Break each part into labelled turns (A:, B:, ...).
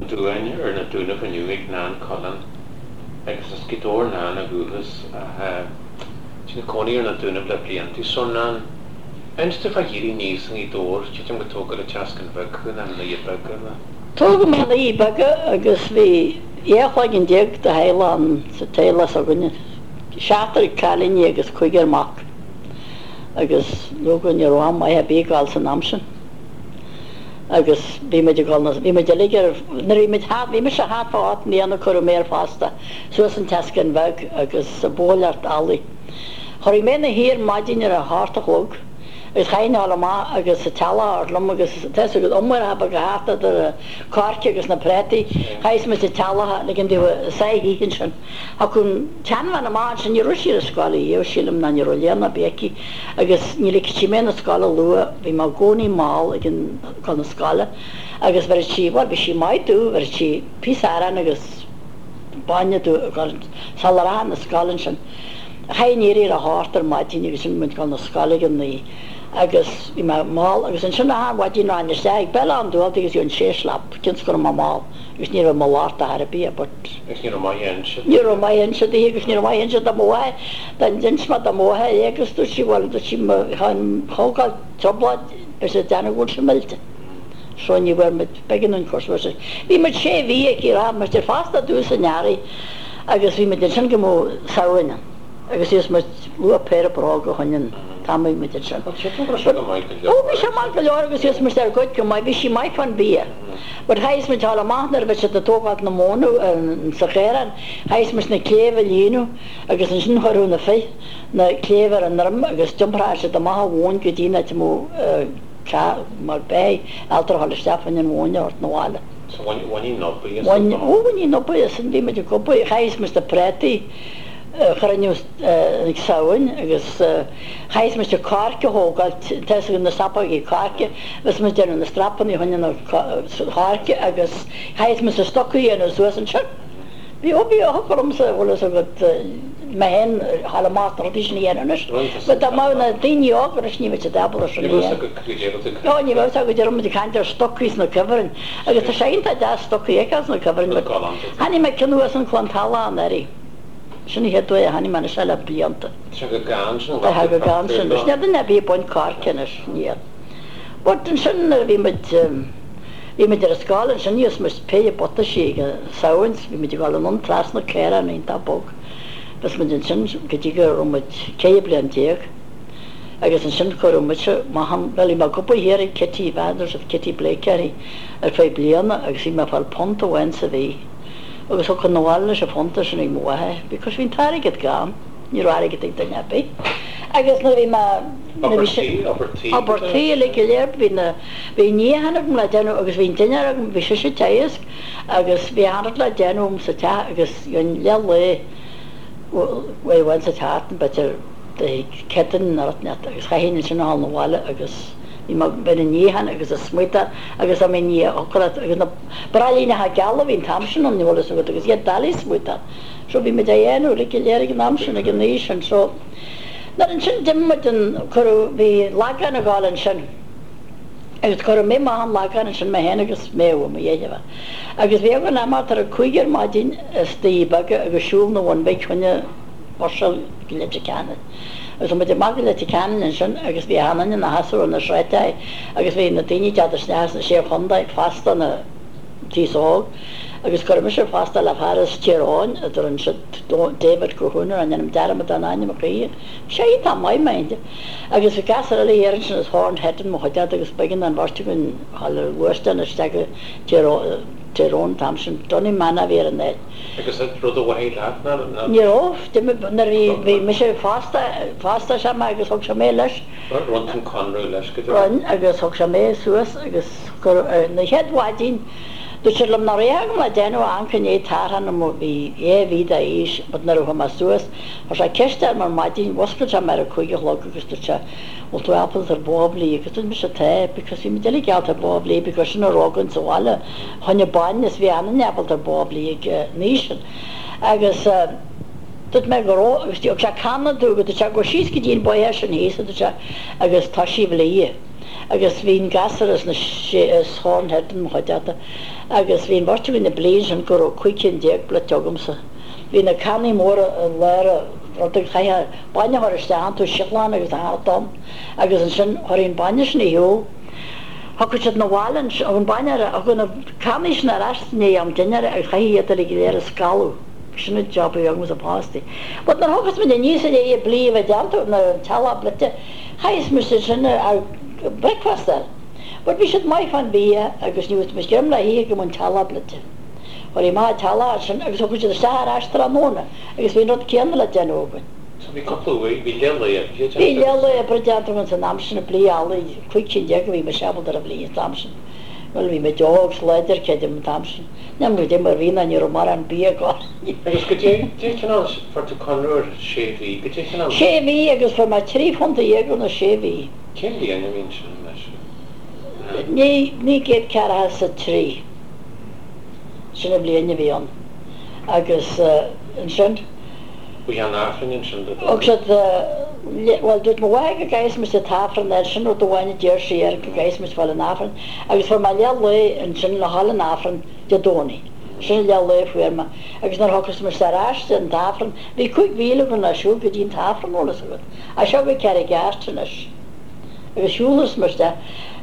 A: Dúin ar na Dúnaibh inniu ag Nan Cullen agus as Gaoth Dobhair Nan ó dhúchas ach tá sí ina cónaí ar na Dúnaibh le blianta. So Nan, inis domh fá éirí aníos i nGaoth Dobhair, tuigim gur tógadh i Teascáin Bheag thú, nó na Doirí Beaga nó?
B: Tógadh mé i nDoirí Beaga agus bhí 12 chloigeann de theaghlach ann sa teaghlach s'againne, seachtar cailíní agus cúigear mac agus leoga ní raibh am maith ar bith ag gabháil san am sin. Agus bhí muid ag dul na, bhí muid uilig ar, nuair a bhí muid thart, bhí mise thart fá ocht mbliana cuireadh mé ar fostú suas an Teascán Bheag agus sa bhóiléireacht eallaigh. Chorraigh mé 'na shuí ar maidin ar a hocht a chlog agus chaithfinn a dhul amach agus an t-eallach a thabhairt liom agus tá fhios agat iomaireacha beaga thart idir an coirce agus na prátaí, chaitheas muid an t-eallach a ligean dóibh sáith a ithe ansin. Thiocfadh an tseanbhean amach ansin, ní raibh sí ar an scoil ariamh, sílim, ná ní raibh léann ar bith aici agus ní ligfeadh sí mé 'na scoile luath, bhí mé i gcónaí mall ag an dul 'na scoile agus bheireadh sí, bhuel bhí sí maith domh, bheireadh sí píosa aráin agus bainne domh sula rachainn 'na scoile ansin. Chaithfinn éirí ar a hocht ar maidin agus sin muid ag dul 'na scoile ag a naoi agus bhí mé mall agus ansin achan mhaidin rachainn isteach ag Béal Átha an Dúltaigh agus gheobhainn sé slap cionn is go raibh mé mall agus ní raibh mo locht ar chor ar bith but.
A: Agus ní raibh maith inse
B: Ní raibh maith inse daoithe agus ní raibh maith inse do mo mháthair. Dá d'inis mé do mo mháthair é agus dúirt sí bhuel dúirt sí má thógáil trioblóid beidh sé ag déanamh go bhfuil sé millte. So ní bhfuair muid b'éigean dúinn cur suas leis. Bhí muid sé mhí aici raibh muid ar fostú ar dtús in earraigh agus bhí muid ansin go mbeadh Samhain ann agus bhíos muid luath péire bróga a choinne an t-am a bhí muid ansin.
A: Bhuel tuigim go raibh sé go maith go leor.
B: Ó bhí sé maith go leor agus bhíos muid ar goid go maith bhí sí maith fán bia. But chaitheas muid dul amach nuair a bhí siad ag tógáilt na móna sa chaorán, chaitheas muid na cléibh a líonadh agus ansin chuirfeadh na fir na cléibh ar a ndroim agus d'iompródh siad amach an mhóin go dtí an áit a mbeadh teach mar beithígh ábalta a dhul isteach fá choinne an mhóin a thabhairt 'na bhaile.
A: So bhain, bhain an obair as
B: Bhain, ó bhain an obair as, bhí muid ag obair, chaitheas muid na prátaí a chruinniú ag Samhain agus chaitheas muid an coirce a thógáil, tá fhios agat na stopógaí coirce, bhíos muid ag déanamh na strapanna a choinne na coirce agus chaitheas muid na stocaí a dhéanamh suas ansin. Bhí, ó bhí, thiocfadh liomsa, bhfuil fhios agat, mé féin a dhul amach na rudaí sin a dhéanamh anois, but dá mbeadh na daoine óga anois ní bheadh siad ábalta sin a dhéanamh. Ó ní bheadh fhios acu, deir muid ag caint ar stocaí sna cuibhrinn agus tá sé iontach deas stocaí a fheiceáil sna cuibhrinn but chonaic mé ceann nua san Cluain Tala anuraidh. Sin an chéad uair a chonaic mé anois é le blianta.
A: Tá sé go gann sin,
B: Tá sé go gann sin anois. Níl duine ar bith ag baint coirce anois, níl. But ansin nuair a bhí muid, bhí muid ar an scoil ansin gheobhadh muid péire buataisí ag an Samhain 's bhí muid ag dul anonn trasna caorán iontach bog. Bhíos muid ansin go dtí go raibh muid 14 bliain. Agus ansin cuireadh mise amach an, bhuel bhí mé ag obair thiar ag Kitty, bhean Kitty Blake uirthi, ar feadh bliana agus bhí mé ag fáil punt amháin sa mhí. Agus thiocfainn abhaile leis an phunta sin ag mo mháthair because bhí an t-airgead gann, ní raibh airgead ag duine ar bith. Agus nuair a bhí mé, nuair a bhí sé,
A: Obair tí, obair tí.
B: Obair tí uilig go léir, bhí na, bhí an níochán agam le déanamh agus bhí an dinnéar agam, bhí sise ag teagasc agus bhí achan rud le déanamh agam sa teach agus gheobhainn leath lae, uair amháin sa tseachtain b'fhéidir, Céadaoin nó rud inteacht agus chaithfinn ansin a dhul 'na bhaile agus bhí mé, bheinn ag níochán agus ag smuitéal agus dá mbeinn a thiocfadh leat agus na braillíneacha geala a bhí an t-am sin ann, bhfuil fhios agat, agus iad doiligh smuitéal. So bhí muid á dhéanamh uilig go léir ag an am sin, ag an aois sin. So nuair ansin d'imigh muid an, cuireadh, bhí Lagán ag gabháil ansin agus cuireadh mé amach an Lagán ansin mé féin agus Méabh, mo dheirfiúr. Agus bhí againn imeacht ar a cúig ar maidin as Doirí Beaga agus siúl na Bhun Bhig choinne bus go Leitir Ceanainn. Agus bhí muid amach go Leitir Ceanainn ansin agus bhí achan duine ina sheasamh ar na sráideacha agus bhí na daoine ag teacht isteach as na Sé Chontae fosta ina t-aos óg agus cuireadh mise ar fostú le fear as Tír Eoghain a dtugann siad David Colquhoun air, ní dhéanaim dearmad den ainm a choíche. Bhí sé iontach maith, mind. Agus bhí gasúr eile thiar ansin as Hornhead in mo chuideachta agus b'éigean don bheirt againn dhul ar ghluaisteán isteach go Tír Eoghain an t-am sin. Donemana a bhí ar an áit.
A: Agus an rud a mhothaigh leat ná, ná.
B: Ní raibh. D'imigh, nuair a bhí, bhí mise fosta, fosta sé mé agus thug sé mé leis.
A: Rinne tú an conradh leis go deo.
B: Rinne agus thug sé mé suas agus gur, na chéad mhaidin, dúirt siad liom nach raibh agam le déanamh ach amharc i ndiaidh tarrtháil mo, bhí dhá mhí d'aois but nuair a chuaigh mé suas, chuir sé ceist orm ar maidin, mhuscail sé mé ar a cúig a chlog agus dúirt sé, bhfuil tú ábalta ar bó a bhlí agus dúirt mise tá because bhí muid uilig ábalta ar bó a bhlí because sin a raibh againn sa bhaile. Choinne bainne is bhí achan duine ábalta ar bó a bhlí ag an aois sin. Agus dúirt mé go raibh agus thug sé canna domh agus dúirt sé gabh síos go dtí an bóithear sin thíos a dúirt sé agus toisigh a bhlí. Agus bhí an gasúr as na sé as Horn Head in mo chuideachta agus bhí an bheirt againn ag blí ansin go raibh 15 cinn blite agamsa. Bhí na cannaí móra i lár an ruda agus chaithfeá bainne a chur isteach iontu, síothlán agus a theacht ann agus ansin chuirfí an bainne sin ar shiúl. Thiocfadh siad 'na bhaile ansin, an bainne ar, thiocfadh na cannaí sin ar ais i ndiaidh am dinnéara agus chaithfí iad uilig go léir a scalladh. Sin an job a bhí agamsa fostaí. But nuair a thiocfas muid aníos i ndiaidh an blí a bheith déanta, na teallach blite, chaithfeas muid ansin breakfast a fháil. But bhí siad maith fán bhia agus ní bhfuair muid greim le hithe go mbeadh an teallach blite. Chuirfí amach an teallach ansin agus thiocfadh siad isteach ar ais tráthnóna agus bhí an rud céanna le déanamh againn.
A: So bhí cúpla uair, bhí leath lae oibre déanta
B: Bhí leath lae oibre déanta againn san am sin, blí eallaigh, 15 cinn a bhí mise ábalta ar an bhlí an t-am sin. Bhuel bhí muid óg 's láidir creidim an t-am sin. Níl mé goidé mar bhí ná ní raibh mórán bia againn.
A: Agus goidé, dé cineál, fuair tú conradh ar sé mhí, goidé cineál.
B: Sé mhí agus fuair mé £13 do na sé mhí.
A: Cén bhliain a bhí ansin anois?
B: 1943. Sin an bhliain a bhí ann. Agus ansin.
A: Bhí an Aifreann ansin do
B: Thug siad, bhuel dúirt mo mháthair go gcaithfeadh mise an tAifreann air, sin rud amháin a deir sí air, go gcaithfeadh mise fáil an Aifreann. Agus fuair mé leath lae ansin le dhul an Aifreann Dé Domhnaigh. Sin an leath lae a fuair mé. Agus nuair a thiocfas mise ar ais den tAifreann, bhí 5 mhíle againn le siúl go dtí an tAifreann, bhfuil fhios agat. As seo go Carraig Airt anois. Agus shiúlas mé isteach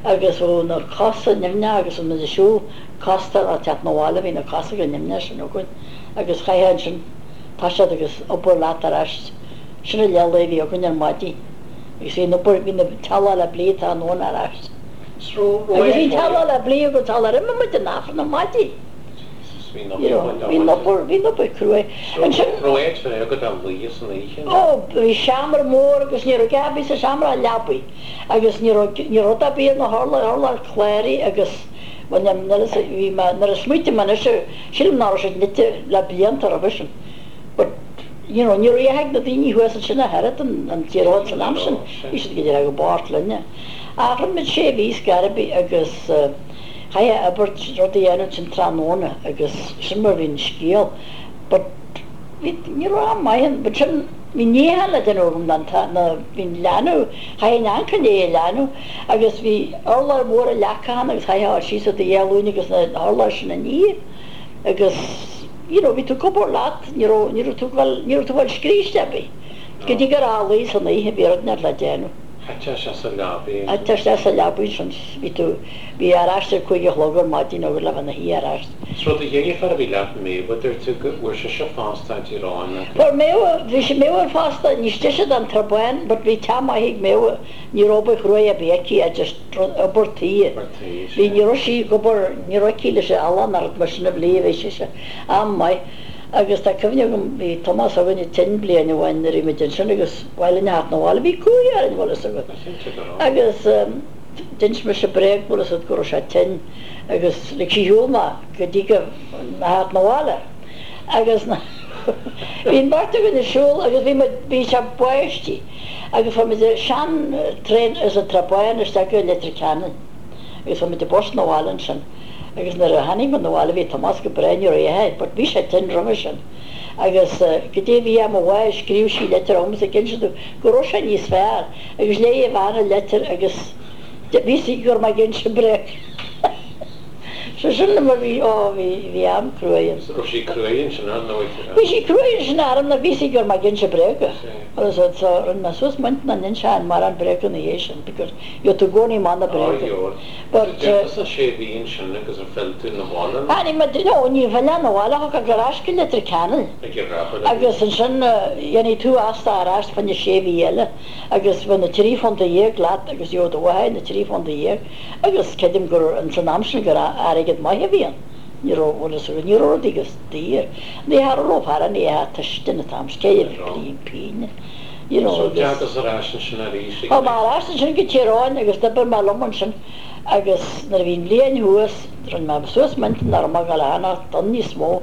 B: agus bheadh na cosa nimhneach agus bhí muid ag siúl costa le teacht 'na bhaile, bhí na cosa chomh nimhneach sin againn agus chaithfeá ansin toiseacht agus obair leat ar ais. Sin an leath lae a bhí againn ar maidin agus bhí an obair, bhí na teallach le blí tráthnóna ar ais. Agus bhí an teallach le blí againn sular imigh muid an Aifreann ar maidin.
A: Bhí an
B: obair, bhí an obair cruaidh. Ansin.
A: Raibh áit ar bith agat a luí san oíche?
B: Ó, bhí seomra mór agus ní raibh a dhath ar bith sa seomra ach leabaidh agus ní raibh, ní raibh rud ar bith ar na hurláir, urlár cláraí agus, bhuel, níl fhios, bhí mé, nuair a smaoitim anois, sílim nach raibh siad nite le blianta roimhe sin. But, you know, ní raibh a dhath ag na daoine thuas ansin ach oiread, an Tír Eoghain san am sin, bhí siad go díreach chomh bocht linne. Ach rinne muid sé mhí scor ar bith agus. Chaithfeá obair, rud a dhéanamh ansin tráthnóna agus sin mar a bhí an scéal. But bhí, ní raibh am maith ann, but sin, bhí níochán le déanamh agam don t-, na, bhí an leanbh, chaithfinn ancan é a leanbh agus bhí urlár mór a leaca ann agus chaithfeá dul síos ar do ghlúine agus na hurláir sin a ní agus you know bhí tú ag obair leat, ní raibh, ní raibh tú ag dul, ní raibh tú ag dul scríste ar bith. Go dtí gur a luí san oíche bhí rud inteacht le déanamh.
A: Chaiteá isteach sa leabaidh
B: ansin. Chaiteá isteach sa leabaidh ansin, bhí tú, bhí ar ais ar 5 a chlog ar maidin agus le bheith 'na shuí ar ais.
A: 'S raibh do dheirfiúr a bhí leat Méabh, a dúirt tú, go bhfuair sise post i dTír Eoghain agus.
B: Fuair Méabh, bhí sí Méabh ar fosta, níos deise don Trá Báin but bhí teach maith ag Méabh, ní raibh obair chruaidh ar bith aici ach just rud, obair tí.
A: Obair tí, sea.
B: Bhí, ní raibh sí ag obair, ní raibh aici leis an eallach ná rud mar sin a bhlí, bhí sise an-mhaith. Agus tá cuimhne agam, bhí Tomás againne tinn bliain amháin nuair a bhí muid ansin agus ba mhaith linn a theacht 'na bhaile, bhí cumhaidh orainn, bhfuil fhios agat. Agus d'inis mise bréag, bhfuil fhios agat, go raibh sé tinn agus lig sí ar shiúl mé go dtí go, a theacht 'na bhaile. Agus bhí an bheirt againn ag siúl agus bhí muid, bhí sé ag báistí agus fuair muid sean traein as an Trá Báin isteach go Leitir Ceanainn agus fuair muid an bus 'na bhaile ansin. Agus nuair a tháinig muid 'na bhaile bhí Tomás go breá, ní raibh a dhath air, but bhí sé tinn roimhe sin. Agus goidé bhí ar mo mháthair, scríobh sí litir chugamsa ag inse domh go raibh sé níos fearr agus léigh a bhean an litir agus bhí fhios aici go raibh mé ag inse bréag. So sin mar bhí, ó bhí, bhí am cruaidh
A: ann. Raibh sí cruaidh ansin ar ndóigh.
B: Bhí sí cruaidh ansin orm nó bhí fhios aici go raibh mé ag inse bréaga. Agus so rinne mé suas m'intinn nach n-inseoinn mórán bréaga ina dhiaidh sin because gheobhaidh tú i gcónaí amach na bréaga.
A: But. Déanta sa sé mhí ansin agus ar phill tú 'na bhaile nó?
B: Tháinig muid, no, ní phill 'na bhaile, thiocfadh ar ais go Leitir Ceanainn.
A: Ag an raipe.
B: Agus ansin dhéanfaidh tú asta ar ais fá choinne sé mhí eile agus bheadh na £13 leat agus gheobhadh do mháthair na £13 agus creidim gur ins an am sin gur airgead maith a bhí ann. Ní raibh, bhfuil fhios agat, ní raibh rudaí chomh daor. Ní tharlódh fear an oíche tuiscint an t-am sin, cé a bhí pínne, you know,
A: So agus. d'fhéachas ar ais ansin arís
B: ag Chuaigh mé ar ais ansin go Tír Eoghain agus d'oibir mé liom ansin agus nuair a bhí an bhliain thuas, rinne mé suas m'intinn nach raibh mé ag dul a fhanacht ann níos mó.